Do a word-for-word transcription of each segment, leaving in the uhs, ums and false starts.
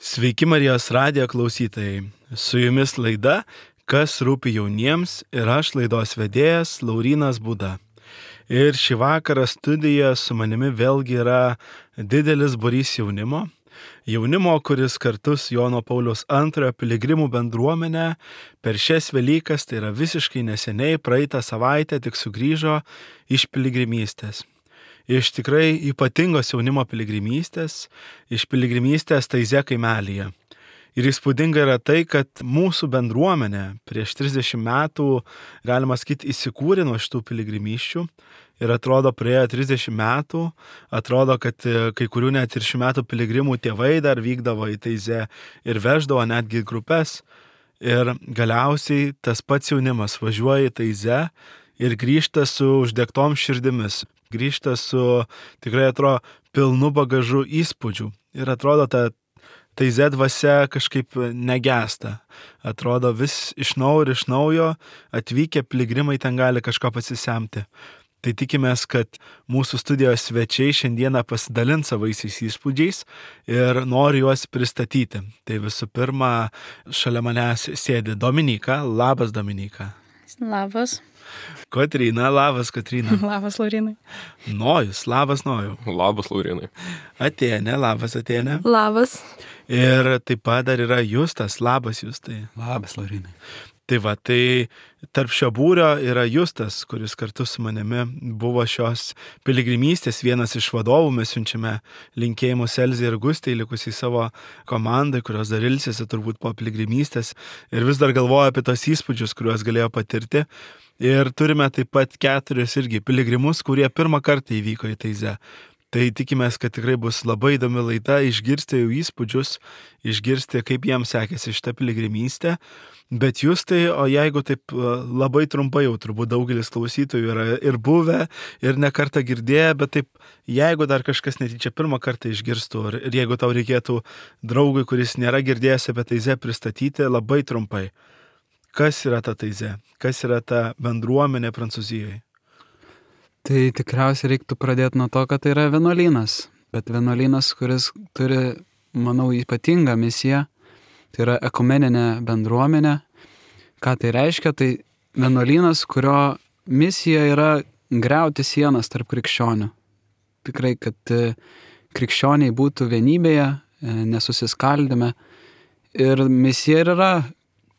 Sveiki Marijos radijo klausytojai. Su jumis laida Kas rūpi jauniems ir aš laidos vedėjas Laurynas Būda. Ir šį vakarą studijoje su manimi vėlgi yra didelis būrys jaunimo. Jaunimo, kuris kartu su Jono Pauliaus antrojo piligrimų bendruomenė per šias Velykas, tai yra visiškai neseniai, praeitą savaitę tik sugrįžo iš piligrimystės. Iš tikrai ypatingos jaunimo piligrimystės, iš piligrimystės Taize kaimelyje. Ir įspūdinga yra tai, kad mūsų bendruomenė prieš trisdešimt metų, galima sakyti, įsikūrė nuo šitų piligrimysčių. Ir atrodo, praėjo trisdešimt metų, atrodo, kad kai kurių net ir šių metų piligrimų tėvai dar vykdavo į Taizę ir veždavo netgi grupės. Ir galiausiai tas pats jaunimas važiuoja į Taizę ir grįžta su uždegtom širdimis. Grįžta su, tikrai atrodo, pilnu bagažu įspūdžių. Ir atrodo, ta Taize dvasia kažkaip negesta. Atrodo, vis iš naujo ir iš naujo atvykę piligrimai ten gali kažko pasisemti. Tai tikimės, kad mūsų studijos svečiai šiandieną pasidalins savaisiais įspūdžiais ir nori juos pristatyti. Tai visų pirma, šalia manęs sėdi Dominyka. Labas, Dominyka. Labas. Kotryna. Labas, Kotryna. Labas, Laurinai. Nojus. Labas, Nojau. Labas, Laurinai. Atėnė. Labas, Atėnė. Labas. Ir taip pat dar yra Justas. Labas, Justai. Labas, Laurinai. Tai va, tai tarp šio būrio yra Justas, kuris kartu su manimi buvo šios piligrimystės vienas iš vadovų. Mes siunčiame linkėjimus Elzei ir Gustei, likusiai savo komandai, kurios dar ilsėsi turbūt po piligrimystės ir vis dar galvoja apie tos įspūdžius, kuriuos galėjo patirti. Ir turime taip pat keturis irgi piligrimus, kurie pirmą kartą įvyko į Taizę. Tai tikimės, kad tikrai bus labai įdomi laida, išgirsti jų įspūdžius, išgirsti, kaip jiems sekėsi šitą piligrimystę. Bet jūs tai, o jeigu taip labai trumpai, jau turbūt daugelis klausytojų yra ir buvę, ir ne kartą girdėję, bet taip, jeigu dar kažkas netyčia pirmą kartą išgirstų, ir jeigu tau reikėtų draugui, kuris nėra girdėjęs apie Taizę, pristatyti labai trumpai. Kas yra ta Taizė? Kas yra ta bendruomenė Prancūzijoje? Tai tikriausiai reiktų pradėti nuo to, kad tai yra vienuolynas. Bet vienuolynas, kuris turi, manau, ypatingą misiją. Tai yra ekumeninė bendruomenė. Ką tai reiškia? Tai vienuolynas, kurio misija yra griauti sienas tarp krikščionių. Tikrai, kad krikščioniai būtų vienybėje, nesusiskaldime. Ir misija ir yra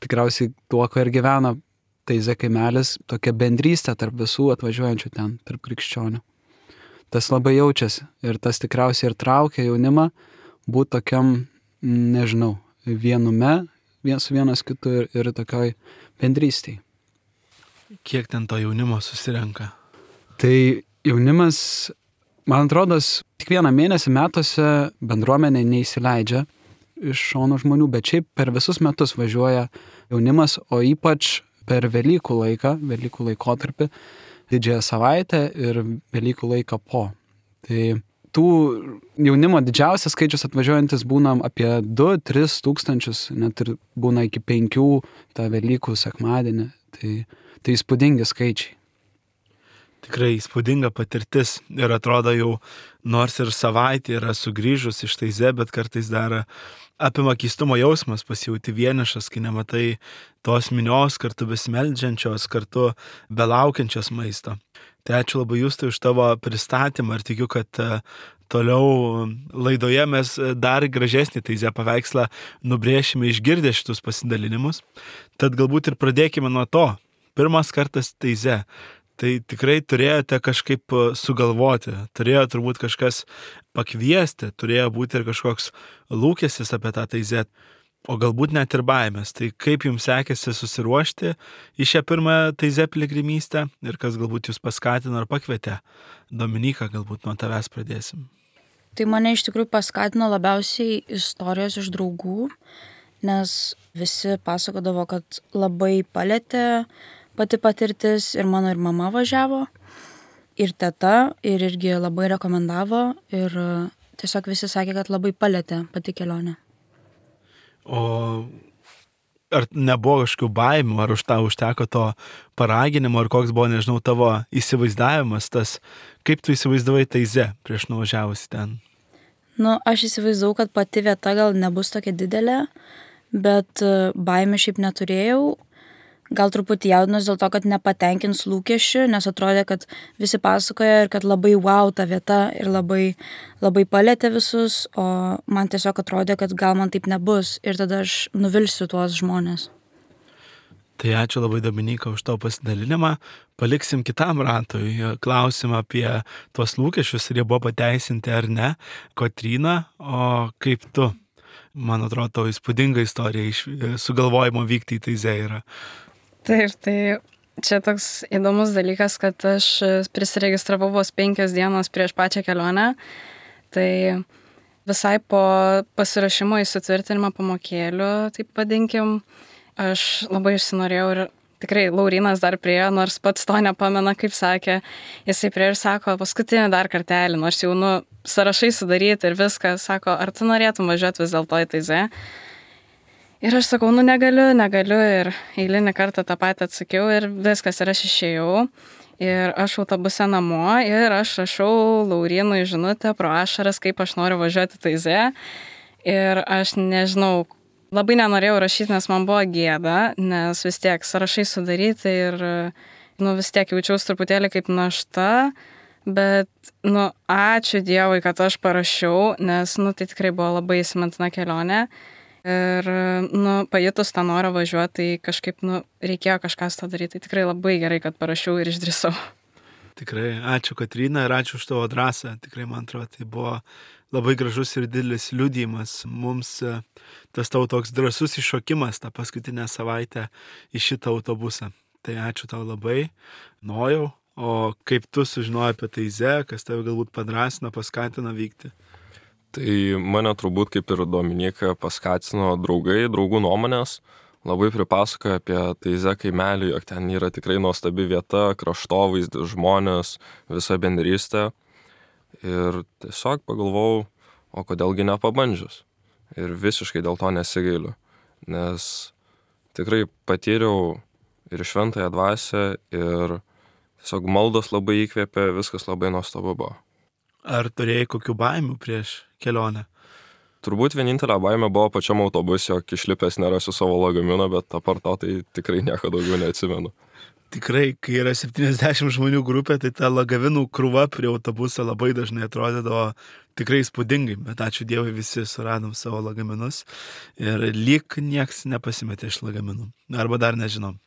tikriausiai tuo, ko ir gyvena Taize kaimelis, tokia bendrystė tarp visų atvažiuojančių ten, tarp krikščionių. Tas labai jaučiasi ir tas tikriausiai ir traukia jaunimą būti tokiam, nežinau, vienume, vien su vienas kitu ir, ir tokioj bendrystėj. Kiek ten to jaunimo susirenka? Tai jaunimas, man atrodo, tik vieną mėnesį metuose bendruomenė neįsileidžia iš šono žmonių, bet šiaip per visus metus važiuoja jaunimas, o ypač per Velykų laiką, Velykų laikotarpį, didžiąją savaitę ir Velykų laiką po. Tai tų jaunimo didžiausias skaičius atvažiuojantis būna apie du tris tūkstančius, net ir būna iki penkių tą Velykų sekmadienį. Tai, tai įspūdingi skaičiai. Tikrai įspūdinga patirtis ir atrodo jau nors ir savaitė yra sugrįžus iš Taizę, bet kartais dar apima keistumo jausmas, pasijauti vienišas, kai nematai tos minios kartu besimeldžiančios, kartu belaukiančios maisto. Tai ačiū labai Justai už tavo pristatymą ir tikiu, kad toliau laidoje mes dar gražesnį Taizę paveikslą nubrėšime išgirdę šitus pasidalinimus. Tad galbūt ir pradėkime nuo to. Pirmas kartas Taizę. Tai tikrai turėjote kažkaip sugalvoti, turėjo turbūt kažkas pakviesti, turėjo būti ir kažkoks lūkestis apie tą Taizę, o galbūt net ir baimės. Tai kaip jums sekėsi susiruošti į šią pirmą Taizę piligrimystę ir kas galbūt jūs paskatino ar pakvietė? Dominyka, galbūt nuo tavęs pradėsim. Tai mane iš tikrųjų paskatino labiausiai istorijos iš draugų, nes visi pasakodavo, kad labai palėtė pati patirtis ir mano ir mama važiavo, ir teta, ir irgi labai rekomendavo ir tiesiog visi sakė, kad labai palėtė pati kelionė. O ar nebuvo kažkokių baimių, ar už tą užteko to paraginimo, ar koks buvo, nežinau, tavo įsivaizdavimas, tas, kaip tu įsivaizdavai Taizę prieš nuvažiavusi ten? Nu, aš įsivaizdavau, kad pati vieta gal nebus tokia didelė, bet e, baimė šiaip neturėjau. Gal truputį jaudinos dėl to, kad nepatenkins lūkesčių, nes atrodė, kad visi pasakoja ir kad labai wow ta vieta ir labai, labai palėtė visus, o man tiesiog atrodė, kad gal man taip nebus ir tada aš nuvilsiu tuos žmonės. Tai ačiū labai, Dominyka, už tavo pasidalinimą. Paliksim kitam ratui klausimą apie tuos lūkesčius, ar jie buvo pateisinti ar ne. Kotryna, o kaip tu? Man atrodo, tavo įspūdinga istorija iš sugalvojimo vykti į Taizė yra. Taip, tai čia toks įdomus dalykas, kad aš prisiregistravau vos penkias dienos prieš pačią kelionę. Tai visai po pasirašymo įsitvirtinimo pamokėlių, taip vadinkim, aš labai išsinorėjau ir tikrai Laurynas dar priejo, nors pats to nepamena, kaip sakė. Jisai priejo ir sako, paskutinį dar kartelį, nors jau nu, sąrašai sudaryti ir viską, sako, ar tu norėtum važiuoti vis dėlto į Taizė? Ir aš sakau, nu negaliu, negaliu ir eilinį kartą tą patį atsakiau ir viskas, ir aš išėjau. Ir aš autobuse namo ir aš rašau Laurynui žinutę pro ašaras, kaip aš noriu važiuoti Taizė. Ir aš nežinau, labai nenorėjau rašyti, nes man buvo gėda, nes vis tiek sąrašai sudaryti ir nu, vis tiek jaučiausi truputėlį kaip našta. Bet, nu, ačiū Dievui, kad aš parašiau, nes, nu, tai tikrai buvo labai įsimintina kelionė. Ir, nu, pajutus tą norą važiuoti, tai kažkaip, nu, reikėjo kažką su to daryti. Tai tikrai labai gerai, kad parašiau ir išdrįsau. Tikrai, ačiū Kotryna ir ačiū už tavo drąsą. Tikrai, man atrodo, tai buvo labai gražus ir didelis liudijimas. Mums tas tavo toks drąsus iššokimas tą paskutinę savaitę į šitą autobusą. Tai ačiū tau labai, Nojau. O kaip tu sužinojai apie Taizė, kas tave galbūt padrasino, paskatino vykti? Tai mane turbūt kaip ir Dominyka paskatino draugai, draugų nuomonės. Labai pripasakoja apie Taizė kaimelį, jog ten yra tikrai nuostabi vieta, kraštovaizdis, žmonės, visa bendrystė. Ir tiesiog pagalvojau, o kodėlgi nepabandžius. Ir visiškai dėl to nesigailiu. Nes tikrai patyriau ir šventąją dvasią, ir tiesiog maldos labai įkvėpė, viskas labai nuostabu buvo. Ar turėjai kokių baimių prieš kelionę? Turbūt vienintelė baimė buvo pačiam autobuse, jog išlipęs nerasiu savo lagamino, bet apart to tai tikrai nieko daugiau neatsimenu. Tikrai, kai yra septyniasdešimt žmonių grupė, tai ta lagavinų krūva prie autobuso labai dažnai atrodydavo tikrai įspūdingai, bet ačiū Dievui visi suradom savo lagaminus ir lyg nieks nepasimetė iš lagaminų. Arba dar nežinom.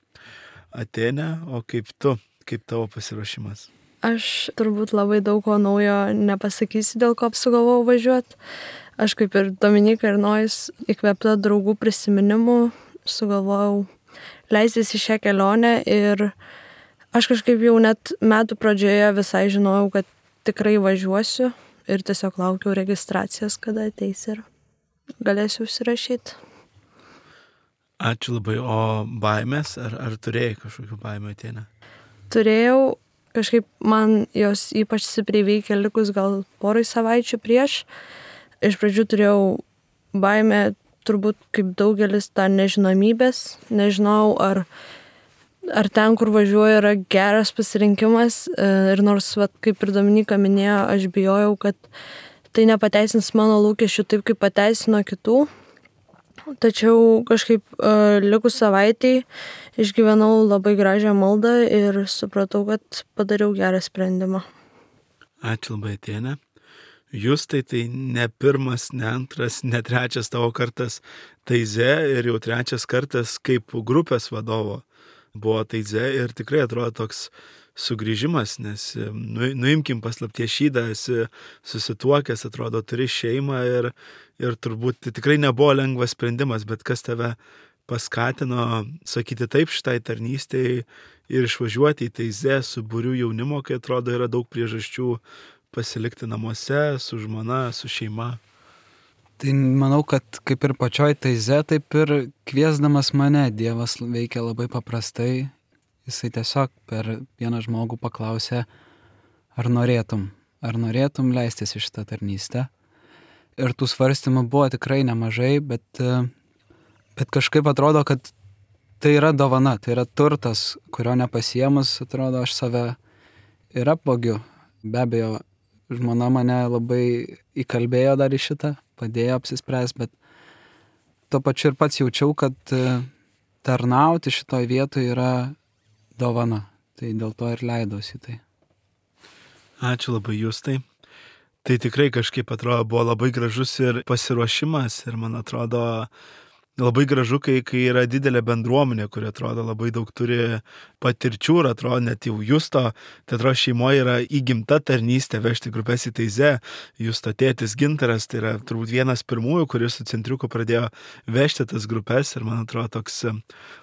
Atėnė, o kaip tu, kaip tavo pasiruošimas? Aš turbūt labai daug ko naujo nepasakysiu, dėl ko apsugalvojau važiuoti. Aš kaip ir Dominyka ir Nojus įkvėpta draugų prisiminimų sugalvojau leistis į šią kelionę ir aš kažkaip jau net metų pradžioje visai žinojau, kad tikrai važiuosiu ir tiesiog laukiau registracijos, kada ateis ir galėsiu užsirašyti. Ačiū labai. O baimės, ar, ar turėjai kažkokių baimių Atėnė? Turėjau. Kažkaip man jos ypač stipriai veikia likus gal porai savaičių prieš. Iš pradžių turėjau baimę, turbūt kaip daugelis, tą nežinomybės. Nežinau, ar, ar ten, kur važiuoju, yra geras pasirinkimas. Ir nors, vat, kaip ir Dominyka minėjo, aš bijojau, kad tai nepateisins mano lūkesčių taip, kaip pateisino kitų. Tačiau kažkaip uh, likus savaitėj išgyvenau labai gražią maldą ir supratau, kad padariau gerą sprendimą. Ačiū labai Atėnė. Jūs tai tai ne pirmas, ne antras, ne trečias tavo kartas Taizė ir jau trečias kartas kaip grupės vadovo buvo Taizė ir tikrai atrodo toks sugrįžimas, nes nu, nuimkim paslapties šydą, esi susituokęs, atrodo, turi šeimą ir, ir turbūt tai tikrai nebuvo lengvas sprendimas, bet kas tave paskatino sakyti taip šitai tarnystėj ir išvažiuoti į Taizė su būriu jaunimo, kai atrodo yra daug priežasčių pasilikti namuose, su žmona, su šeima. Tai manau, kad kaip ir pačioj Taizė, taip ir kviesdamas mane Dievas veikia labai paprastai. Jisai tiesiog per vieną žmogų paklausė, ar norėtum, ar norėtum leistis į šitą tarnystę. Ir tų svarstymų buvo tikrai nemažai, bet, bet kažkaip atrodo, kad tai yra dovana, tai yra turtas, kurio nepasiemus, atrodo, aš save ir apvogiu. Be abejo, žmona mane labai įkalbėjo dar į šitą, padėjo apsispręsti, bet tuo pačiu ir pats jaučiau, kad tarnauti šitoj vietoje yra dovana. Tai dėl to ir leidausi tai. Ačiū labai, Justai. Tai tikrai kažkaip atrodo buvo labai gražus ir pasiruošimas ir man atrodo labai gražu, kai, kai yra didelė bendruomenė, kuri atrodo labai daug turi patirčių ir atrodo net jau Justo, tai atrodo šeimoje yra įgimta tarnystė vežti grupės į Taizė. Justo tėtis Gintaras, tai yra turbūt vienas pirmųjų, kuris su centriuku pradėjo vežti tas grupės ir man atrodo toks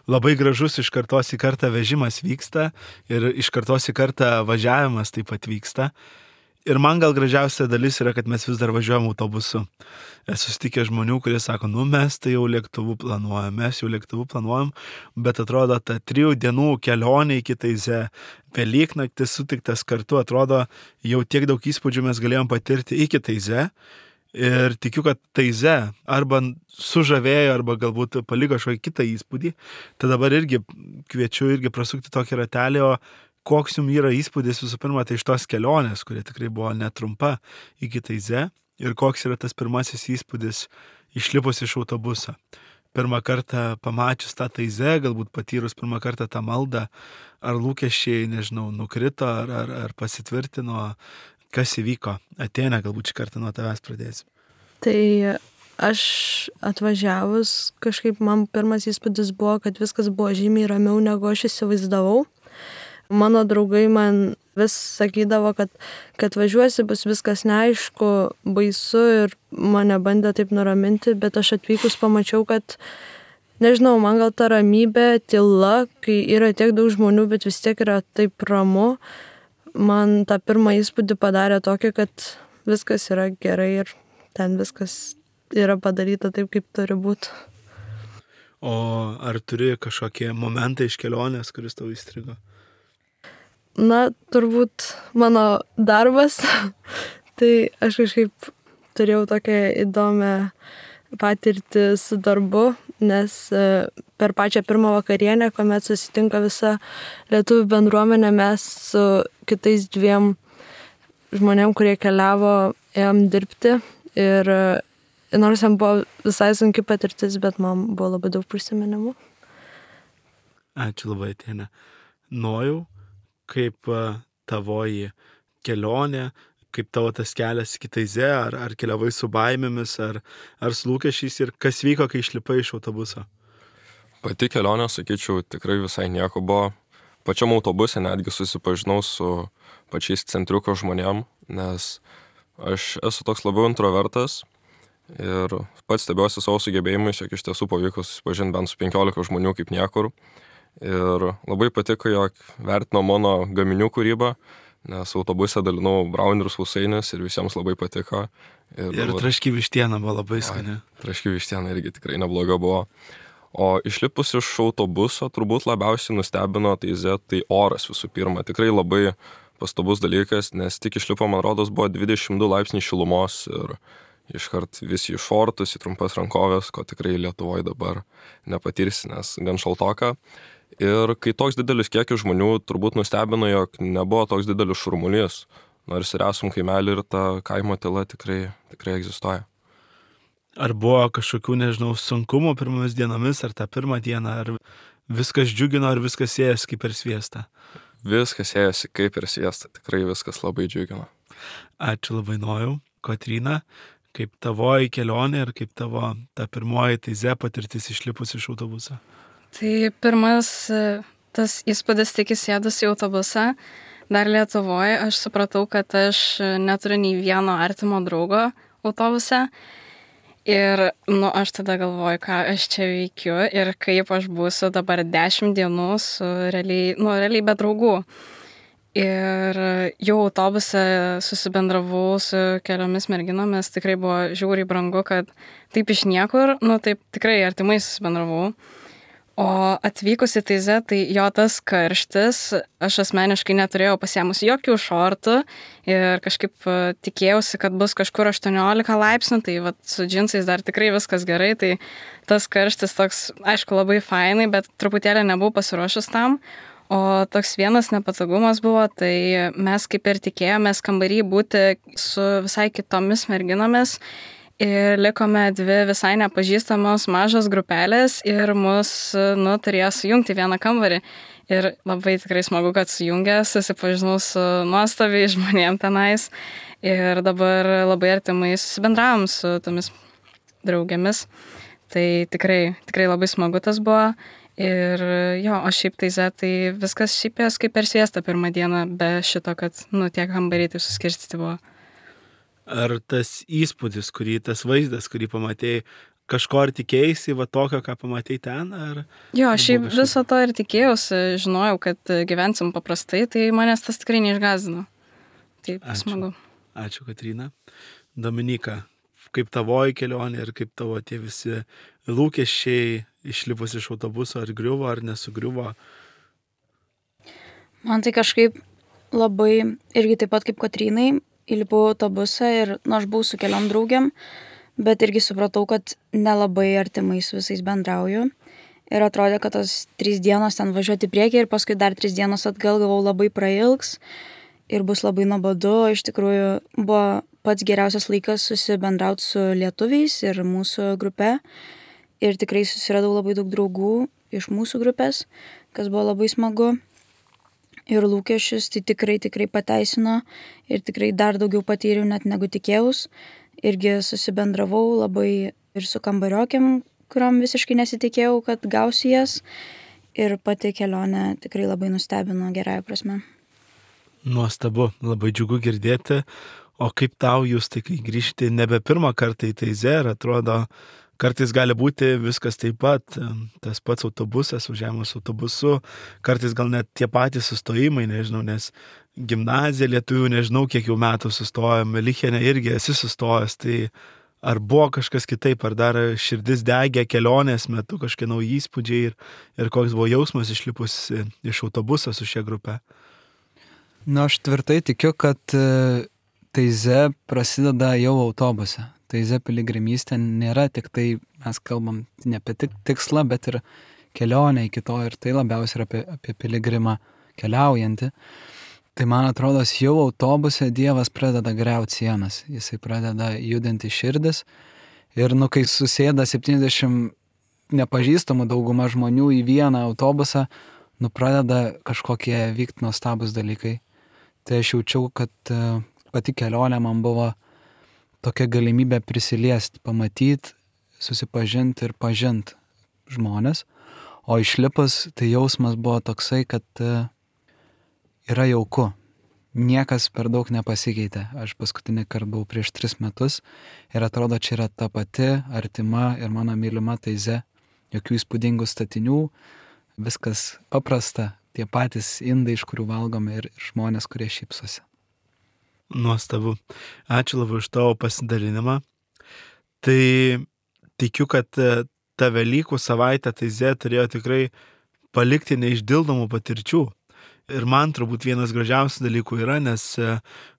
labai gražus iš kartos į kartą vežimas vyksta ir iš kartos į kartą važiavimas taip pat vyksta. Ir man gal gražiausia dalis yra, kad mes vis dar važiuojam autobusu. Esu sutikęs žmonių, kurie sako, nu mes tai jau lėktuvų planuojam, mes jau lėktuvų planuojam, bet atrodo, ta trijų dienų kelionė iki Taizė, Velyknaktis sutiktas kartu, atrodo, jau tiek daug įspūdžių mes galėjom patirti iki Taizė. Ir tikiu, kad Taizė arba sužavėjo, arba galbūt paliko kažkokį kitą įspūdį. Tai dabar irgi kviečiu irgi prasukti tokį ratelį, o koks jums yra įspūdis visų pirma, tai iš tos kelionės, kurie tikrai buvo netrumpa iki Taizė, ir koks yra tas pirmasis įspūdis išlipus iš autobuso. Pirmą kartą pamačius tą Taizė, galbūt patyrus pirmą kartą tą maldą, ar lūkesčiai, nežinau, nukrito, ar, ar, ar pasitvirtino, kas įvyko. Atėnė, galbūt šį kartą nuo tavęs pradėsim. Tai aš atvažiavus, kažkaip man pirmas įspūdis buvo, kad viskas buvo žymiai ramiau, negu aš įsivaizdavau. Mano draugai man vis sakydavo, kad, kad važiuosi, bus viskas neaišku, baisu ir mane bandė taip nuraminti, bet aš atvykus pamačiau, kad, nežinau, man gal ta ramybė, tyla, kai yra tiek daug žmonių, bet vis tiek yra taip ramu, man tą pirmą įspūdį padarė tokį, kad viskas yra gerai ir ten viskas yra padaryta taip, kaip turi būti. O ar turi kažkokie momentai iš kelionės, kuris tau įstrigo? Na, turbūt mano darbas, tai aš kažkaip turėjau tokią įdomią patirtį su darbu, nes per pačią pirmą vakarienę, kuomet susitinka visa lietuvių bendruomenė, mes su kitais dviem žmonėm, kurie keliavo, ėjom dirbti ir nors jam buvo visai sunki patirtis, bet man buvo labai daug prisiminimų. Ačiū labai, Atėnė. Nojau, kaip tavoji kelionė, kaip tavo tas kelias iki Taizė, ar, ar keliavai su baimėmis, ar, ar su lūkesčiais ir kas vyko, kai išlipai iš autobuso? Pati kelionė, sakyčiau, tikrai visai nieko buvo. Pačiam autobuse netgi susipažinau su pačiais centriuko žmonėm, nes aš esu toks labiau introvertas ir pats stebiuosi savo sugebėjimais, jog iš tiesų pavyko susipažinti bent su penkiolika žmonių kaip niekur. Ir labai patiko, jog vertino mano gaminių kūrybą, nes autobuse dalinau braunerius sausainius ir visiems labai patiko. Ir, ir traški vištiena buvo labai skani. Traški vištiena irgi tikrai nebloga buvo. O išlipus iš autobuso turbūt labiausiai nustebino Taizė, tai oras visų pirma. Tikrai labai pastabus dalykas, nes tik išlipo, man rodos, buvo dvidešimt du laipsniai šilumos ir iškart visi į šortus, į trumpas rankovės, ko tikrai Lietuvoje dabar nepatirsi, nes gan šaltoka. Ir kai toks didelis kiekis žmonių turbūt nustebino, jog nebuvo toks didelis šurmulys, nors ir esam kaimelį ir ta kaimo tyla tikrai, tikrai egzistuoja. Ar buvo kažkokių, nežinau, sunkumų pirmomis dienomis, ar tą pirmą dieną, ar viskas džiugino, ar viskas ėjosi kaip per sviestą? Viskas ėjosi kaip per sviestą, tikrai viskas labai džiugino. Ačiū labai, Nojau. Kotryna, kaip tavoji kelionė ir kaip tavo ta pirmoji Taizė patirtis išlipus iš autobuso? Tai pirmas tas įspūdis tik įsėdus į autobusą, dar Lietuvoje, aš supratau, kad aš neturiu nei vieno artimo draugo autobuse. Ir, nu, aš tada galvoju, ką aš čia veikiu ir kaip aš būsiu dabar dešimt dienų su realiai, nu, realiai be draugų. Ir jau autobuse susibendravau su keliomis merginomis, tikrai buvo žiauriai brangu, kad taip iš niekur, nu, taip tikrai artimai susibendravau. O atvykus į Taizę, tai jo tas karštis, aš asmeniškai neturėjau pasiėmus jokių šortų ir kažkaip tikėjausi, kad bus kažkur aštuoniolika laipsnių, tai vat, su džinsais dar tikrai viskas gerai, tai tas karštis toks, aišku, labai fainai, bet truputėlį nebuvau pasiruošus tam. O toks vienas nepatogumas buvo, tai mes kaip ir tikėjomės kambarį būti su visai kitomis merginomis ir likome dvi visai nepažįstamos mažos grupelės ir mus, nu, turėjo sujungti vieną kambarį. Ir labai tikrai smagu, kad sujungė, susipažinau su nuostabiai žmonėm tenais ir dabar labai artimai susibendravom su tomis draugėmis. Tai tikrai, tikrai labai smagu tas buvo. Ir jo, o šiaip Taize, tai viskas šiaip jas kaip per sviestą pirmą dieną, be šito, kad, nu, tiek kambariai taip suskirstyti buvo. Ar tas įspūdis, kurį, tas vaizdas, kurį pamatėjai, kažko ar tikėjai, va tokio, ką pamatėjai ten, ar... Jo, šiaip viso to ir tikėjausi, žinojau, kad gyvensim paprastai, tai manęs tas tikrai neišgąsdino. Taip, Ačiū. smagu. Ačiū, Kotryna. Dominika, kaip tavoji kelionė ir kaip tavo tie visi lūkesčiai išlipus iš autobuso, ar griuvo, ar nesugriuvo? Man tai kažkaip labai, irgi taip pat kaip Kotrynai, įlipau autobusą ir, nu, aš buvau su keliom draugiam, bet irgi supratau, kad nelabai artimai su visais bendrauju. Ir atrodė, kad tos trys dienos ten važiuoti į priekį ir paskui dar trys dienos atgal gavau labai prailgs ir bus labai nuobodu. Iš tikrųjų buvo pats geriausias laikas susibendrauti su lietuviais ir mūsų grupe. Ir tikrai susiradau labai daug draugų iš mūsų grupės, kas buvo labai smagu. Ir lūkesčius tai tikrai, tikrai pateisino ir tikrai dar daugiau patyriau net negu tikėjaus. Irgi susibendravau labai ir su kambariokėm, kuriom visiškai nesitikėjau, kad gausiu jas. Ir pati kelionė tikrai labai nustebino gerąją prasme. Nuostabu, labai džiugu girdėti. O kaip tau jūs, tai kai grįžti nebe pirmą kartą į Taizę, ir atrodo, kartais gali būti viskas taip pat, tas pats autobusas, važiavimas autobusu, kartais gal net tie patys sustojimai, nežinau, nes gimnazija lietuvių, nežinau, kiek jau metų sustojame, Melichene irgi esi sustojęs, tai ar buvo kažkas kitaip, ar dar širdis degė kelionės metu, kažkokie nauji įspūdžiai ir, ir koks buvo jausmas išlipus iš autobuso su šia grupe? Nu, aš tvirtai tikiu, kad Taizė prasideda jau autobuse. Taizė piligrimystė nėra tik tai, mes kalbam ne apie tik tikslą, bet ir kelionę iki to, ir tai labiausiai yra apie, apie piligrimą keliaujantį. Tai man atrodo, jau autobuse Dievas pradeda griauti sienas, jisai pradeda judinti širdis ir, nu, kai susėda septyniasdešimt nepažįstamų dauguma žmonių į vieną autobusą, nu, pradeda kažkokie vykti nuostabus dalykai. Tai aš jaučiau, kad pati kelionė man buvo tokia galimybė prisiliesti, pamatyti, susipažinti ir pažinti žmonės. O išlipus, tai jausmas buvo toksai, kad yra jauku. Niekas per daug nepasikeitė. Aš paskutinį kartą buvau prieš tris metus ir atrodo, čia yra ta pati artima ir mano mylima Taizė. Jokių įspūdingų statinių, viskas paprasta, tie patys indai, iš kurių valgome, ir žmonės, kurie šypsosi. Nuostabu. Ačiū labai už tavo pasidalinimą. Tai tikiu, kad ta Velykų savaitė Taizė turėjo tikrai palikti neišdildomų patirčių. Ir man turbūt vienas gražiausių dalykų yra, nes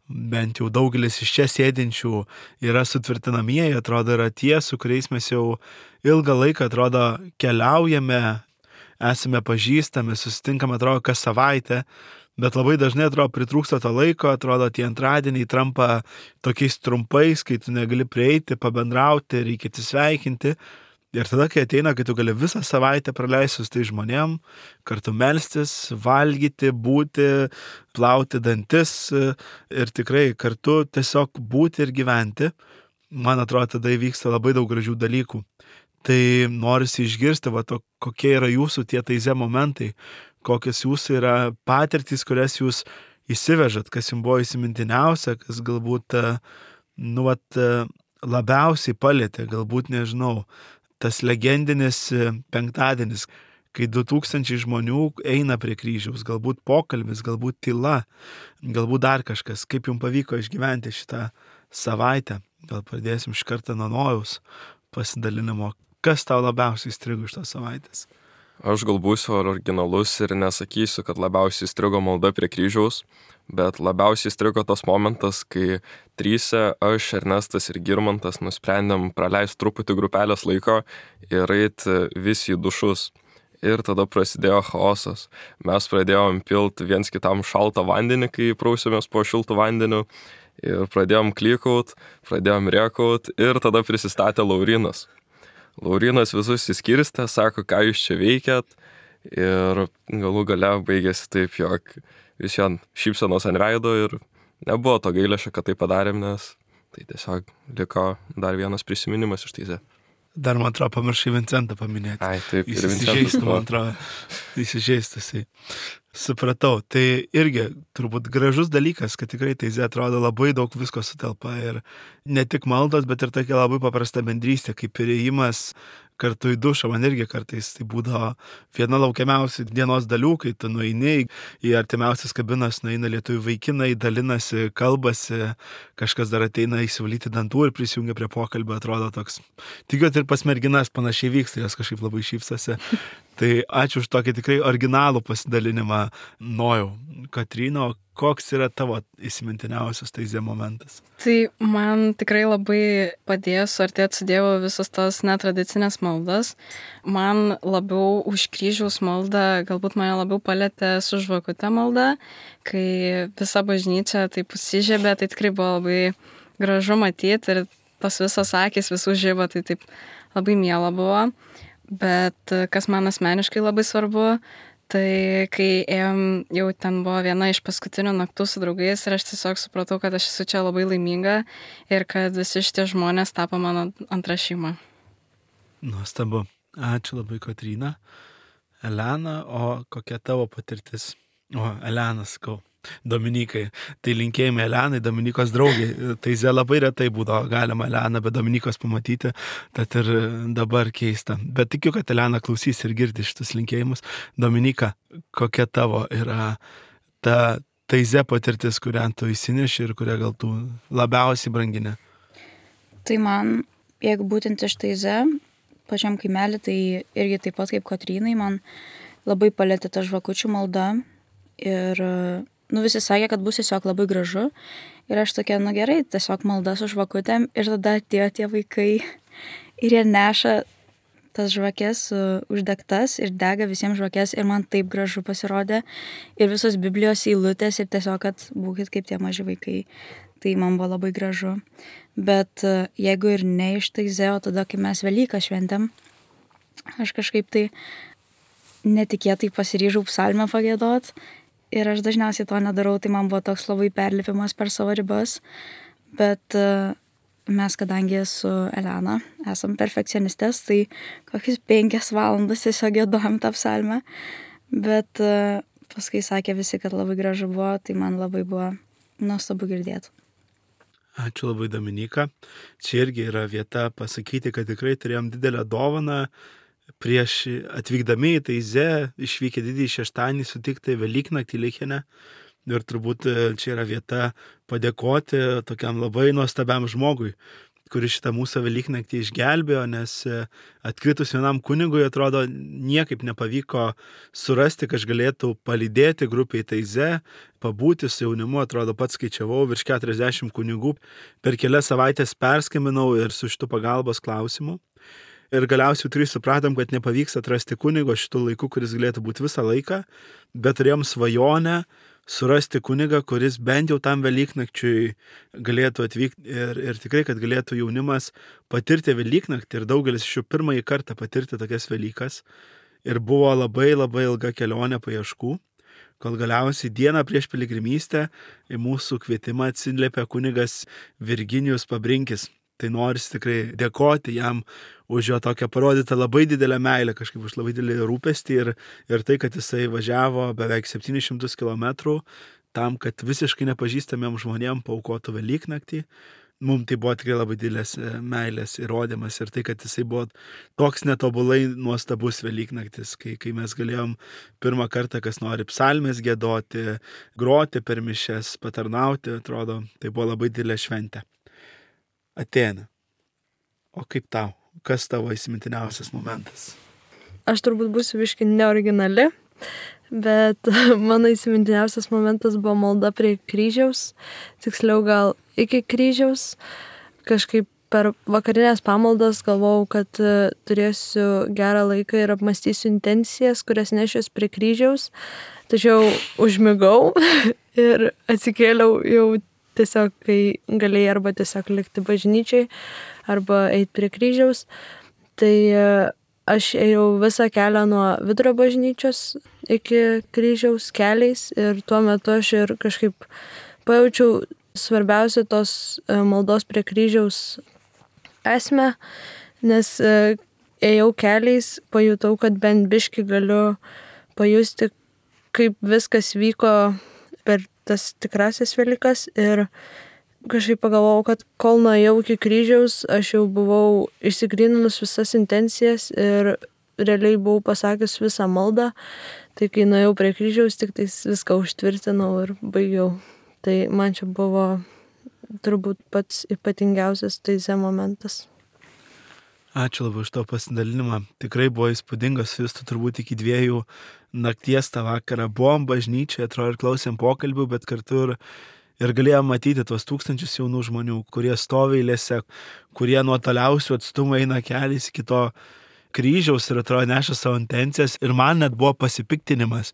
bent jau daugelis iš čia sėdinčių yra sutvirtinamieji, atrodo, yra tie, su kuriais mes jau ilgą laiką, atrodo, keliaujame, esame pažįstami, susitinkame, atrodo, kas savaitę. Bet labai dažnai, atrodo, pritrūksta to laiko, atrodo, tie antradieniai trampa tokiais trumpais, kai tu negali prieiti, pabendrauti, reikia atsisveikinti. Ir tada, kai ateina, kai tu gali visą savaitę praleisti su tai žmonėm, kartu melstis, valgyti, būti, plauti dantis ir tikrai kartu tiesiog būti ir gyventi, man atrodo, tada įvyksta labai daug gražių dalykų. Tai norisi išgirsti, va, to, kokie yra jūsų tie Taizė momentai, kokios jūsų yra patirtys, kurias jūs įsivežat, kas jums buvo įsimintiniausia, kas galbūt, nu, vat, labiausiai palėtė, galbūt, nežinau, tas legendinis penktadienis, kai du tūkstančiai žmonių eina prie kryžiaus, galbūt pokalbis, galbūt tyla, galbūt dar kažkas. Kaip jums pavyko išgyventi šitą savaitę? Gal pradėsim iš karto nuo Nojaus pasidalinimo. Kas tau labiausiai įstrigo iš tos savaitės? Aš gal būsiu originalus ir nesakysiu, kad labiausiai įstrigo malda prie kryžiaus, bet labiausiai įstrigo tas momentas, kai tryse, aš, Ernestas ir Girmantas nusprendėm praleisti truputį grupelės laiko ir eiti visi į dušus. ir tada prasidėjo chaosas. Mes pradėjom pilt viens kitam šaltą vandenį, kai prausėmės po šiltų vandeniu, ir pradėjom klykaut, pradėjom rėkaut, ir tada prisistatė Laurinas. Laurinas visus įskirstė, sako, ką jūs čia veikėt, ir galų gale baigėsi taip, jog vis vien šypsenos ant veido ir nebuvo to gailesčio, kad tai padarėm, nes tai tiesiog liko dar vienas prisiminimas iš Taizė. Dar, man atrodo, pamiršai Vincentą paminėti. Ai, taip, Jis ir Vincentas. įsižeistų, man atrodo. Įsižeistas. Supratau. Tai irgi turbūt gražus dalykas, kad tikrai Taizė atrodo labai daug visko sutelpa. Ir ne tik maldos, bet ir tokia labai paprasta bendrystė, kaip įėjimas kartu į dušą. Man irgi kartais tai būdavo viena laukiamiausių dienos dalių, kai tu nueini į artimiausias kabinas, nueina lietuvių vaikinai, dalinasi, kalbasi, kažkas dar ateina įsivalyti dantų ir prisijungia prie pokalbio, atrodo toks. Tikiuosi ir pas merginas panašiai vyksta, jos kažkaip labai šypsosi. Tai ačiū už tokį tikrai originalų pasidalinimą. Nojau, Kotryna, koks yra tavo įsimintiniausias Taizė momentas? Tai man tikrai labai padėjo suartėti su Dievu visos tos netradicinės maldas. Man labiau už kryžiaus maldą, galbūt mane labiau palėtė su žvakute malda, kai visa bažnyčia taip užsižiebė, tai tikrai buvo labai gražu matyti ir tos visos akys visų žiba, tai taip labai miela buvo. Bet kas man asmeniškai labai svarbu, tai kai ėjom, jau ten buvo viena iš paskutinių naktų su draugais ir aš tiesiog supratau, kad aš esu čia labai laiminga ir kad visi šitie žmonės tapo mano antra šeima. Nuostabu. Ačiū labai, Kotryna. Elena, o kokia tavo patirtis? O, Elena, sakau. Dominikai. Tai linkėjimai Elenai, Dominikos draugiai. Taizė labai retai būdavo galima Eleną be Dominikos pamatyti, tad ir dabar keista. Bet tikiu, kad Elena klausys ir girdi šitus linkėjimus. Dominika, kokia tavo yra ta Taizė patirtis, kurią tu įsineši ir kurią gal tu labiausiai brangini? Tai man, jeigu būtent iš Taizė, pačiam kaimelį, tai irgi taip pat kaip Kotrynai, man labai palėtė ta žvakučių malda ir nu, visi sakė, kad bus tiesiog labai gražu. Ir aš tokia, nu gerai, tiesiog malda su žvakutėm. Ir tada atėjo tie vaikai ir jie neša tas žvakės uh, uždegtas ir dega visiems žvakės. Ir man taip gražu pasirodė. Ir visos Biblijos eilutės ir tiesiog, kad būkit kaip tie maži vaikai. Tai man buvo labai gražu. Bet uh, jeigu ir ne iš Taizė, o tada, kai mes Velyką šventėm, aš kažkaip tai netikėtai pasiryžau psalmę pagiedot. Ir aš dažniausiai to nedarau, tai man buvo toks labai perlipimas per savo ribas. Bet uh, mes, kadangi su Elena esam perfekcionistės, tai kokius penkias valandas tiesiog giedojom tą psalmę. Bet uh, paskui sakė visi, kad labai gražu buvo, tai man labai buvo nuostabu girdėti. Ačiū labai, Dominika. Čia irgi yra vieta pasakyti, kad tikrai turėjom didelę dovaną. Prieš atvykdami į Taizė, išvykę didįjį šeštadienį, sutikti Velyknaktį Lichenę. Ir turbūt čia yra vieta padėkoti tokiam labai nuostabiam žmogui, kuris šitą mūsų Velyknaktį išgelbėjo, nes atkritus vienam kunigui, atrodo, niekaip nepavyko surasti, kad galėtų palydėti grupiai Taizė, pabūti su jaunimu, atrodo, pats skaičiavau, virš keturiasdešimt kunigų. Per kelias savaitės perskambinau ir su šitu pagalbos klausimu. Ir galiausiai trys supratom, kad nepavyks atrasti kunigo šitų laikų, kuris galėtų būti visą laiką, bet turėjom svajonę surasti kunigą, kuris bent jau tam Velyknakčiui galėtų atvykti ir, ir tikrai, kad galėtų jaunimas patirti Velyknaktį ir daugelis iš jų pirmąjį kartą patirti tokias Velykas. Ir buvo labai labai ilga kelionė paieškų, kol galiausiai dieną prieš piligrimystę į mūsų kvietimą atsiliepė kunigas Virginijus Pabrinkis. Tai norisi tikrai dėkoti jam už jo tokią parodytą labai didelę meilę, kažkaip už labai didelį rūpestį ir, ir tai, kad jisai važiavo beveik septynis šimtus kilometrų tam, kad visiškai nepažįstamiem žmonėm paaukotų Velyknaktį. Mums tai buvo tikrai labai didelės meilės įrodymas ir tai, kad jisai buvo toks netobulai nuostabus Velyknaktis, kai, kai mes galėjom pirmą kartą, kas nori psalmės giedoti, groti per mišias, patarnauti, atrodo, tai buvo labai didelė šventė. Ateina. O kaip tau? Kas tavo įsimintiniausias momentas? Aš turbūt būsiu biškai neoriginali, bet mano įsimintiniausias momentas buvo malda prie kryžiaus, tiksliau gal iki kryžiaus. Kažkaip per vakarinės pamaldas galvojau, kad turėsiu gerą laiką ir apmastysiu intencijas, kurias nešios prie kryžiaus, tačiau užmigau ir atsikėliau jau tiesiog, kai galėjai arba tiesiog likti bažnyčiai, arba eiti prie kryžiaus. Tai aš ėjau visą kelią nuo Vidurio bažnyčios iki kryžiaus keliais ir tuo metu aš ir kažkaip pajaučiau svarbiausia tos maldos prie kryžiaus esmę, nes ėjau keliais, pajutau, kad bent biškį galiu pajusti, kaip viskas vyko per tas tikrasias Velykas ir kažkaip pagalvojau, kad kol nuėjau iki kryžiaus, aš jau buvau išsigryninus visas intencijas ir realiai buvau pasakęs visą maldą, tai kai nuėjau prie kryžiaus, tik tais viską užtvirtinau ir baigiau. Tai man čia buvo turbūt pats ypatingiausias taize momentas. Ačiū labai už to pasidalinimą. Tikrai buvo įspūdingas, jūs turbūt iki dviejų nakties tą vakarą buvom bažnyčiai, atrodo ir klausėm pokalbių, bet kartu ir, ir galėjom matyti tuos tūkstančius jaunų žmonių, kurie stovi eilėse, kurie nuo toliausių atstumų eina keliais iki to kryžiaus ir atrodo neša savo intencijas ir man net buvo pasipiktinimas,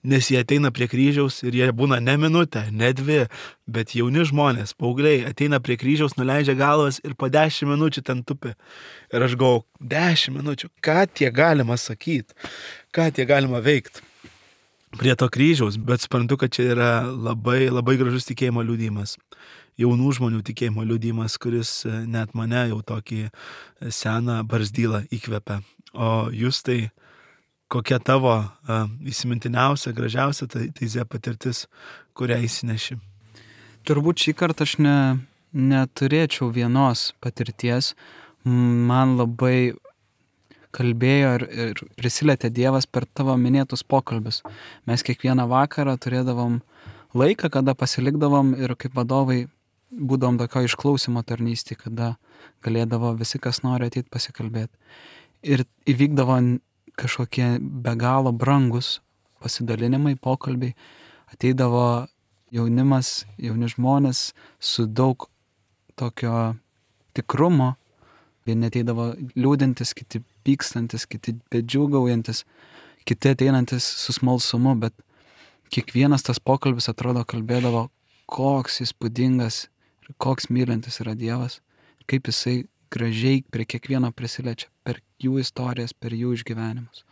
nes jie ateina prie kryžiaus ir jie būna ne minutę, ne dvi, bet jauni žmonės, paaugliai, ateina prie kryžiaus, nuleidžia galvas ir po dešimt minučių ten tupi. Ir aš galvoju, dešimt minučių, ką tie galima sakyti, ką tie galima veikti prie to kryžiaus, bet suprantu, kad čia yra labai, labai gražus tikėjimo liudijimas. Jaunų žmonių tikėjimo liudijimas, kuris net mane jau tokį seną barzdylą įkvepia. O jūs tai kokia tavo uh, įsimintiniausia, gražiausia taize patirtis, kurią įsineši? Turbūt šį kartą aš ne, neturėčiau vienos patirties. Man labai kalbėjo ir, ir prisilietė Dievas per tavo minėtus pokalbius. Mes kiekvieną vakarą turėdavom laiką, kada pasilikdavom ir kaip vadovai būdavom tokio išklausimo tarnystė, kada galėdavo visi, kas nori ateiti pasikalbėti. Ir įvykdavo kažkokie be galo brangus pasidalinimai, pokalbiai. Ateidavo jaunimas, jauni žmonės su daug tokio tikrumo. Vieni ateidavo liūdintis, kiti pykstantis, kiti bedžiūgaujantis, kiti ateinantis su smalsumu, bet kiekvienas tas pokalbis atrodo kalbėdavo, koks įspūdingas ir koks mylintis yra Dievas, kaip jisai gražiai prie kiekvieno prisiliečia, per jų istorijas, per jų išgyvenimus.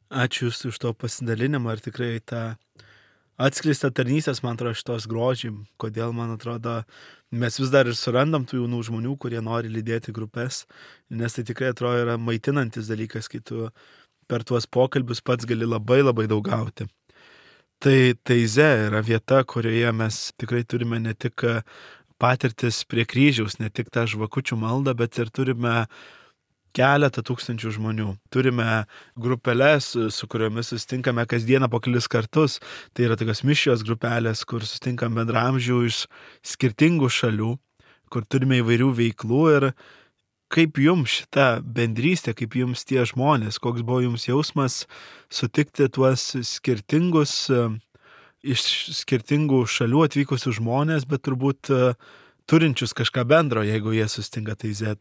Ačiū Jūs už to pasidalinimą ir tikrai tą atskleistą tarnystės, man atrodo, šitos grožį, kodėl, man atrodo, mes vis dar ir surandam tų jaunų žmonių, kurie nori lydėti grupės, nes tai tikrai atrodo yra maitinantis dalykas, kai tu per tuos pokalbius pats gali labai labai daug gauti. Tai taize yra vieta, kurioje mes tikrai turime ne tik patirtis prie kryžiaus, ne tik tą žvakučių maldą, bet ir turime keletą tūkstančių žmonių. Turime grupelės, su kuriomis susitinkame kasdieną po kelis kartus. Tai yra tokios mišrios grupelės, kur susitinkam bendramžių iš skirtingų šalių, kur turime įvairių veiklų ir kaip jums šita bendrystė, kaip jums tie žmonės, koks buvo jums jausmas sutikti tuos skirtingus, iš skirtingų šalių atvykusius žmonės, bet turbūt turinčius kažką bendro, jeigu jie susitinka taize.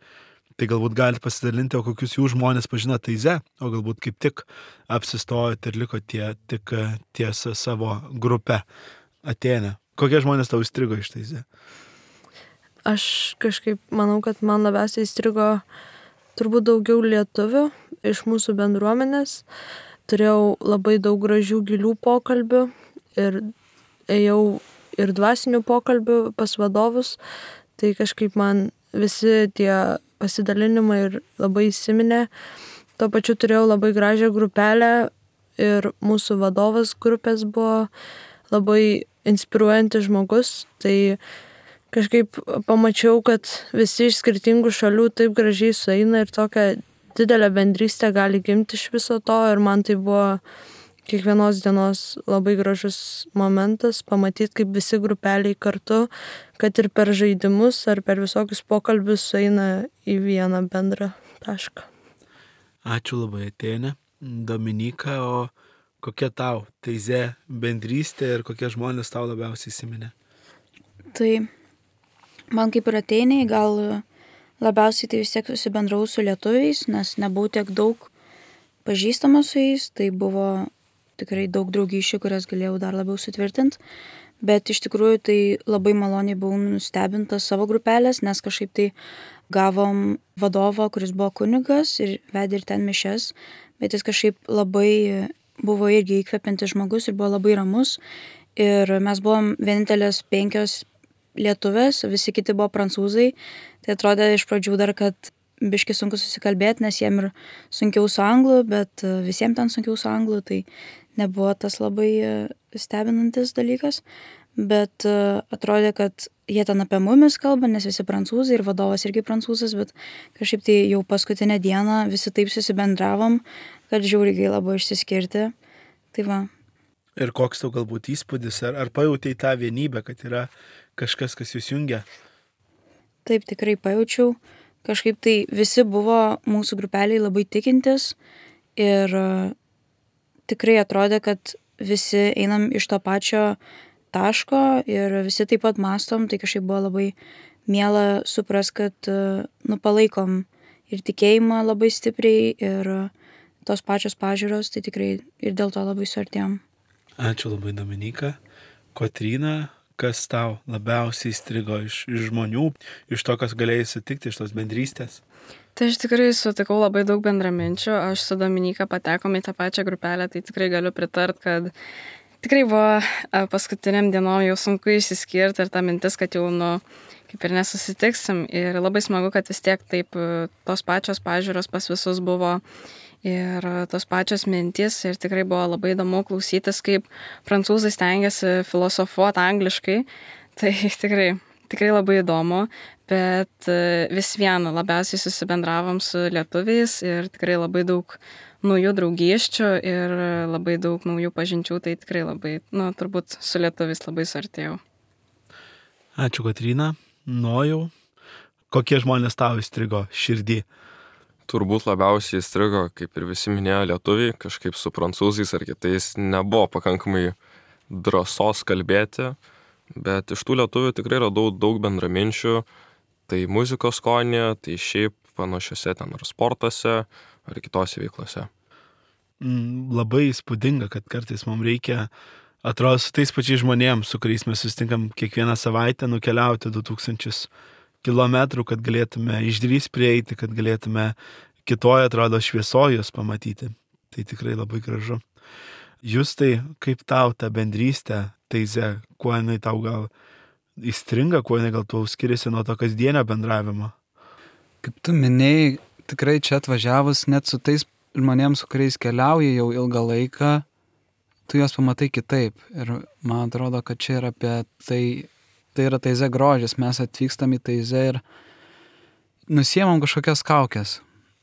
Tai galbūt galite pasidalinti, o kokius jų žmonės pažino taize, o galbūt kaip tik apsistojot ir liko tie, tik ties savo grupę Atėne. Kokie žmonės tau įstrigo iš taize? Aš kažkaip manau, kad man labiausiai įstrigo turbūt daugiau lietuvių iš mūsų bendruomenės. Turėjau labai daug gražių gilių pokalbių ir ėjau ir dvasinių pokalbių pas vadovus. Tai kažkaip man visi tie pasidalinimai ir labai įsiminė. Tuo pačiu turėjau labai gražią grupelę ir mūsų vadovas grupės buvo labai inspiruojantis žmogus. Tai kažkaip pamačiau, kad visi iš skirtingų šalių taip gražiai sueina ir tokia didelė bendrystė gali gimti iš viso to. Ir man tai buvo kiekvienos dienos labai gražus momentas pamatyti, kaip visi grupeliai kartu, kad ir per žaidimus ar per visokius pokalbius sueina į vieną bendrą tašką. Ačiū labai, Atėne. Dominyka, o kokia tau taize bendrystė ir kokie žmonės tau labiausiai įsiminė? Tai man kaip ir Atėnei gal Labiausiai tai vis tiek susibendravau su lietuviais, nes nebuvau tiek daug pažįstama su jais, tai buvo tikrai daug draugysčių, kurias galėjau dar labiau sutvirtinti, bet iš tikrųjų tai labai maloniai buvau nustebinta savo grupelės, nes kažkaip tai gavom vadovą, kuris buvo kunigas ir vedė ir ten mišias, bet jis kažkaip labai buvo irgi įkvepiantis žmogus ir buvo labai ramus ir mes buvom vienintelės penkios lietuvės, visi kiti buvo prancūzai, tai atrodė iš pradžių dar, kad biški sunku susikalbėti, nes jiem ir sunkiau su anglu, bet visiems ten sunkiau su anglu, tai nebuvo tas labai stebinantis dalykas, bet atrodė, kad jie ten apie mumis kalba, nes visi prancūzai ir vadovas irgi prancūzas, bet kažkaip tai jau paskutinę dieną visi taip susibendravom, kad žiauriai gaila buvo išsiskirti. Tai va. Ir koks tau galbūt įspūdis, ar, ar pajautai tą vienybę, kad yra kažkas, kas jūs jungia? Taip, tikrai pajaučiau. Kažkaip tai visi buvo mūsų grupeliai labai tikintis ir tikrai atrodė, kad visi einam iš to pačio taško ir visi taip pat mastom, tai kažkaip buvo labai miela supras, kad nu, palaikom ir tikėjimą labai stipriai ir tos pačios pažiūros, tai tikrai ir dėl to labai suartėjom. Ačiū labai, Dominyka. Kotryna, kas tau labiausiai įstrigo iš, iš žmonių, iš to, kas galėjai sutikti, iš tos bendrystės? Tai aš tikrai sutikau labai daug bendraminčių, aš su Dominyka patekom į tą pačią grupelę, tai tikrai galiu pritart, kad tikrai buvo paskutiniam dienom jau sunku išsiskirti ir ta mintis, kad jau, nu, kaip ir nesusitiksim ir labai smagu, kad vis tiek taip tos pačios pažiūros pas visus buvo ir tos pačios mintys ir tikrai buvo labai įdomu klausytis, kaip prancūzai stengiasi filosofuoti angliškai, tai tikrai, tikrai labai įdomu, bet vis viena labiausiai susibendravom su lietuviais ir tikrai labai daug naujų draugysčių ir labai daug naujų pažinčių, tai tikrai labai, nu, turbūt su lietuviais labai suartėjau. Ačiū, Kotryna. Nojau, kokie žmonės tau įstrigo širdį? Turbūt labiausiai įstrigo, kaip ir visi minėjo lietuviai, kažkaip su prancūzais ar kitais nebuvo pakankamai drąsos kalbėti, bet iš tų lietuvių tikrai radau daug bendraminčių, tai muzikos skonėje, tai šiaip panašiose ten ar sportuose, ar kitose veiklose. Mm, labai įspūdinga, kad kartais mums reikia, atrodo, su tais pačiais žmonėms, su kuriais mes susitinkam kiekvieną savaitę, nukeliauti du tūkstančius kilometrų, kad galėtume išdrįs prieiti, kad galėtume kitoje, atrodo, šviesojus pamatyti. Tai tikrai labai gražu. Justai, kaip tau ta bendrystė Teize, kuo jinai tau gal įstringa, kuo jinai gal tau skiriasi nuo to kasdienio bendravimo? Kaip tu minėjai, tikrai čia atvažiavus net su tais žmonėms, su kuriais keliauji jau ilgą laiką, tu juos pamatai kitaip. Ir man atrodo, kad čia yra apie tai, tai yra Teize grožis. Mes atvykstam į Teizę ir nusiemam kažkokias kaukės.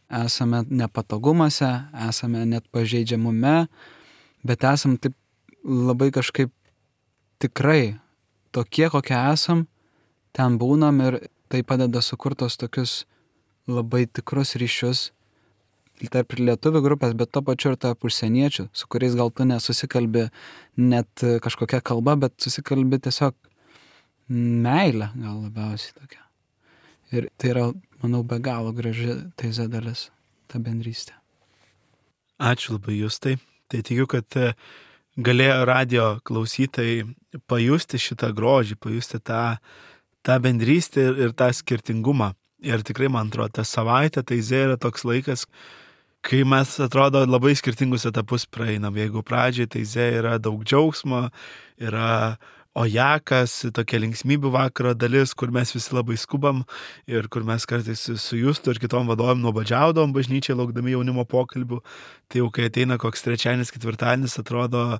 Esame nepatogumuose, esame net pažeidžiamume, bet esam taip labai kažkaip tikrai tokie, kokie esam, ten būnam ir tai padeda sukurtos tokius labai tikrus ryšius tarp lietuvių grupės, bet to pačiu ir tarp užsieniečių, su kuriais gal tu nesusikalbi net kažkokia kalba, bet susikalbi tiesiog meilę gal labiausiai tokia. Ir tai yra, manau, be galo graži Teize dalis, ta bendrystė. Ačiū labai, Justai. Tai tikiu, kad galėjo radio klausytojai pajusti šitą grožį, pajusti tą, tą bendrystę ir, ir tą skirtingumą. Ir tikrai, man atrodo, ta savaitė Teize yra toks laikas, kai mes, atrodo, labai skirtingus etapus praeinam. Jeigu pradžiai Teize yra daug džiaugsmo, yra ojakas, tokia linksmybių vakaro dalis, kur mes visi labai skubam ir kur mes kartais su Justu ir kitom vadovom nuobodžiaudom bažnyčiai, laukdami jaunimo pokalbių. Tai jau kai ateina koks trečiadienis, ketvirtadienis, atrodo,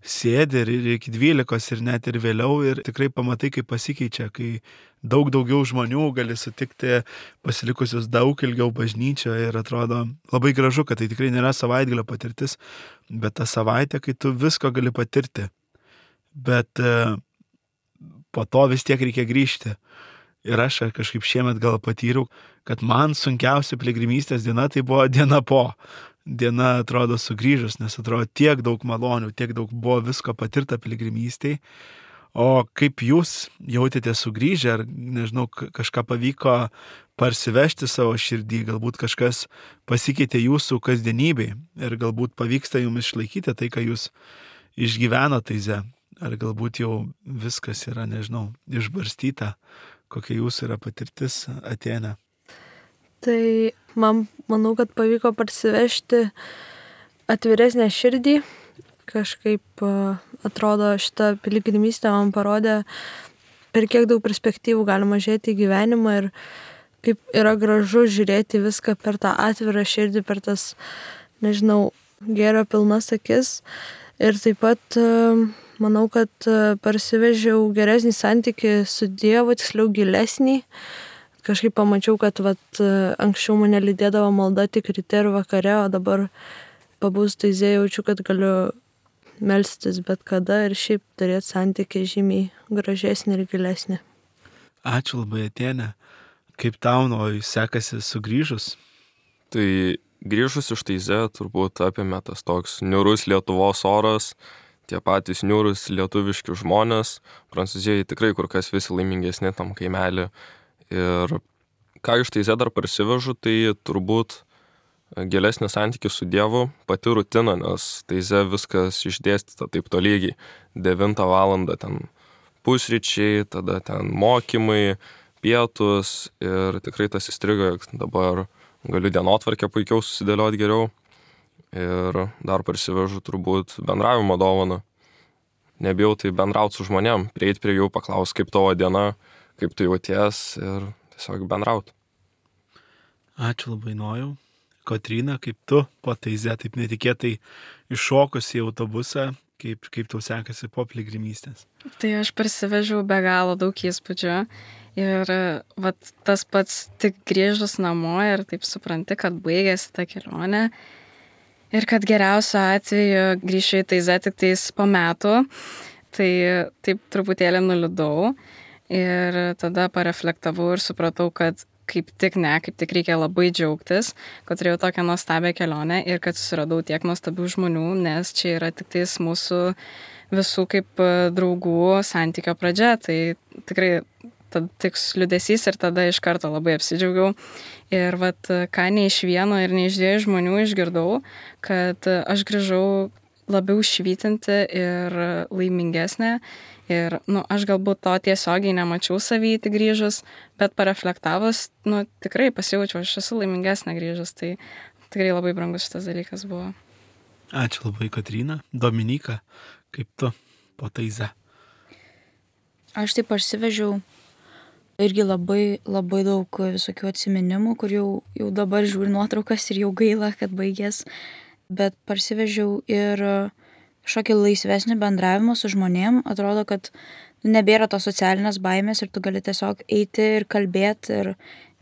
sėdi ir iki dvylikos ir net ir vėliau ir tikrai pamatai, kaip pasikeičia, kai daug daugiau žmonių gali sutikti pasilikusius daug ilgiau bažnyčioje ir atrodo labai gražu, kad tai tikrai nėra savaitgalio patirtis, bet ta savaitė, kai tu visko gali patirti. Bet po to vis tiek reikia grįžti. Ir aš kažkaip šiemet gal patyriau, kad man sunkiausia piligrimystės diena tai buvo diena po. Diena atrodo sugrįžus, nes atrodo tiek daug malonių, tiek daug buvo visko patirta piligrimystėj. O kaip jūs jautėte sugrįžę, ar nežinau, kažką pavyko parsivežti savo širdį, galbūt kažkas pasikeitė jūsų kasdienybėje ir galbūt pavyksta jums išlaikyti tai, ką jūs išgyveno taize, ar galbūt jau viskas yra, nežinau, išbarstyta, kokia jūsų yra patirtis Atėne. Tai man, manau, kad pavyko parsivežti atviresnę širdį. Kažkaip atrodo, šitą piligrimystę man parodė, per kiek daug perspektyvų galima žiūrėti į gyvenimą ir kaip yra gražu žiūrėti viską per tą atvirą širdį, per tas, nežinau, gėrio pilnas akis. Ir taip pat manau, kad parsivežiau geresnį santykį su Dievu, tiksliau gilesnį. Kažkaip pamačiau, kad vat, anksčiau mane lydėdavo malda tik ryte ir vakare, o dabar pabūs taize jaučiu, kad galiu melstis bet kada ir šiaip turėti santykį žymiai gražesnį ir gilesnį. Ačiū labai, Atėne. Kaip tau Nojui sekasi sugrįžus? Tai grįžus iš taize turbūt apėmė tas toks niūrus Lietuvos oras, tie patys niūrus lietuviški žmonės. Prancūzijoje tikrai kur kas visi laimingesni tam kaimelį. Ir ką iš taize dar parsivežu, tai turbūt gilesnį santykį su Dievu, pati rutina, nes taize viskas išdėstyta taip tolygiai. devintą valandą ten pusryčiai, tada ten mokymai, pietus ir tikrai tas įstrigo, jog dabar galiu dienotvarkę puikiau susidėlioti geriau. Ir dar parsivežu turbūt bendravimo dovaną. Nebijau tai bendrauti su žmonėm, prieit prie jų, paklaus, kaip tavo diena, kaip tu jauties ir tiesiog bendrauti. Ačiū labai, Nojau. Kotryna, kaip tu po taize taip netikėtai iššokus į autobusą, kaip, kaip tau sekasi po piligrimystės? Tai aš parsivežiau be galo daug įspūdžių ir vat, tas pats tik grįžus namo ir taip supranti, kad baigėsi ta kelionė ir kad geriausiu atveju grįšiu į taizę tik tais po metų, tai taip truputėlį nuliūdau ir tada pareflektavau ir supratau, kad kaip tik ne, kaip tik reikia labai džiaugtis, kad turėjau tokią nuostabią kelionę ir kad susiradau tiek nuostabių žmonių, nes čia yra tik tais mūsų visų kaip draugų santykio pradžia. Tai tikrai tad tik liūdesys ir tada iš karto labai apsidžiaugiau. Ir vat, ką ne iš vieno ir ne iš dviejų žmonių išgirdau, kad aš grįžau labiau švytinti ir laimingesnė. Ir, nu, aš galbūt to tiesiogiai nemačiau savyti grįžus, bet pareflektavus, nu, tikrai pasijaučiau, aš esu laimingesnė grįžus, tai tikrai labai brangus šitas dalykas buvo. Ačiū labai, Kotryna. Dominyka, kaip tu po taize? Aš taip parsivežiau irgi labai, labai daug visokių atsiminimų, kur jau, jau dabar žiūri nuotraukas ir jau gaila, kad baigės, bet parsivežiau ir kažkokį laisvesnį bendravimą su žmonėm. Atrodo, kad nebėra tos socialinės baimės ir tu gali tiesiog eiti ir kalbėti. Ir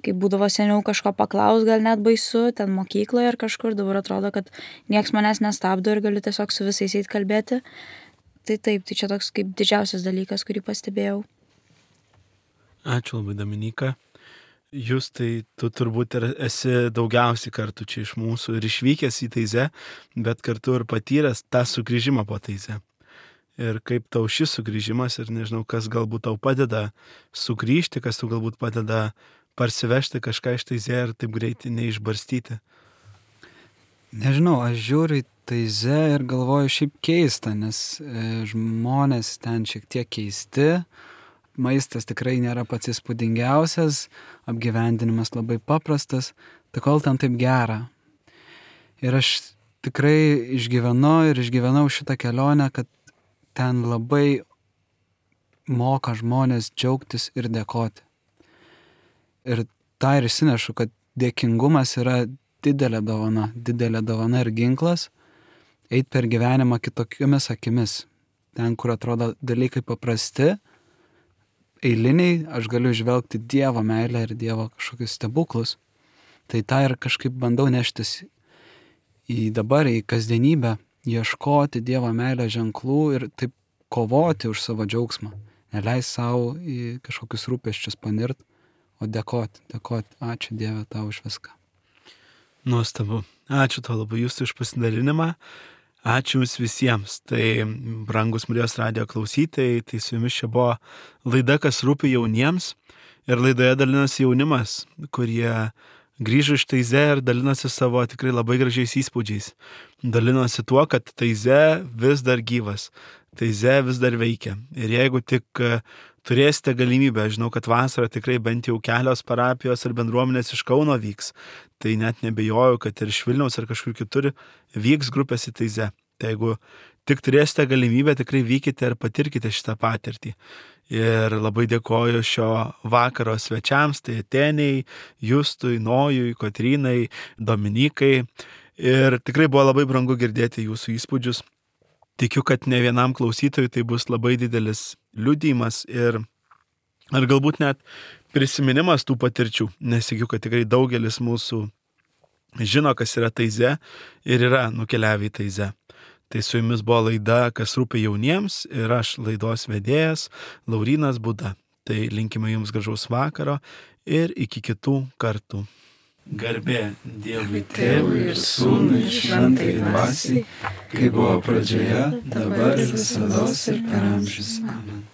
kai būdavo seniau kažko paklaus, gal net baisu, ten mokykloje ar kažkur, dabar atrodo, kad nieks manęs nestabdo ir galiu tiesiog su visais eiti kalbėti. Tai taip, tai čia toks kaip didžiausias dalykas, kurį pastebėjau. Ačiū labai, Dominyka. Jūs tai tu turbūt ir esi daugiausiai kartų čia iš mūsų ir išvykęs į taizę, bet kartu ir patyręs tą sugrįžimą po taizę. Ir kaip tau šis sugrįžimas ir nežinau, kas galbūt tau padeda sugrįžti, kas tau galbūt padeda parsivežti kažką iš taizę ir taip greitai neišbarstyti. Nežinau, aš žiūriu į taizę ir galvoju šiaip keista, nes e, žmonės ten šiek tiek keisti. Maistas tikrai nėra pats įspūdingiausias, apgyvendinimas labai paprastas, tai kol ten taip gera. Ir aš tikrai išgyvenu ir išgyvenau šitą kelionę, kad ten labai moka žmonės džiaugtis ir dėkoti. Ir tą ir įsinešu, kad dėkingumas yra didelė dovana, didelė dovana ir ginklas, eit per gyvenimą kitokiomis akimis. Ten, kur atrodo dalykai paprasti, eiliniai, aš galiu žvelgti Dievo meilę ir Dievo kažkokius stebuklus. Tai tą ir kažkaip bandau neštis į dabar, į kasdienybę, ieškoti Dievo meilę ženklų ir taip kovoti už savo džiaugsmą. Neleis savo į kažkokius rūpesčius panirt, o dėkoti, dėkoti. Ačiū Dieve tau už viską. Nuostabu. Ačiū tau labai jūsų už pasidalinimą. Ačiū jums visiems. Tai brangus Marijos radijo klausytojai, tai su jumis čia buvo laida, kas rūpi jauniems. Ir laidoje dalinasi jaunimas, kurie grįžo iš Taize ir dalinosi savo tikrai labai gražiais įspūdžiais. Dalinosi tuo, kad Taize vis dar gyvas, Taize vis dar veikia. Ir jeigu tik turėsite galimybę, žinau, kad vasarą tikrai bent jau kelios parapijos ar bendruomenės iš Kauno vyks, tai net nebejoju, kad ir iš Vilniaus ar kažkur kitur vyks grupės į Taize. Tai jeigu tik turėsite galimybę, tikrai vykite ir patirkite šitą patirtį. Ir labai dėkoju šio vakaro svečiams, tai Atėniai, Justui, Nojui, Kotrynai, Dominikai. Ir tikrai buvo labai brangu girdėti jūsų įspūdžius. Tikiu, kad ne vienam klausytojui tai bus labai didelis liudijimas ir ar galbūt net prisiminimas tų patirčių, nes tikiu, kad tikrai daugelis mūsų žino, kas yra Taize ir yra nukeliavę į Taize. Tai su jumis buvo laida, kas rūpi jauniems ir aš laidos vedėjas Laurynas Buda. Tai linkime jums gražaus vakaro ir iki kitų kartų. Garbė Dievui Tėvui ir Sūnui ir Šventai Dvasiai, kaip buvo pradžioje, dabar ir visados ir per amžius. Amen.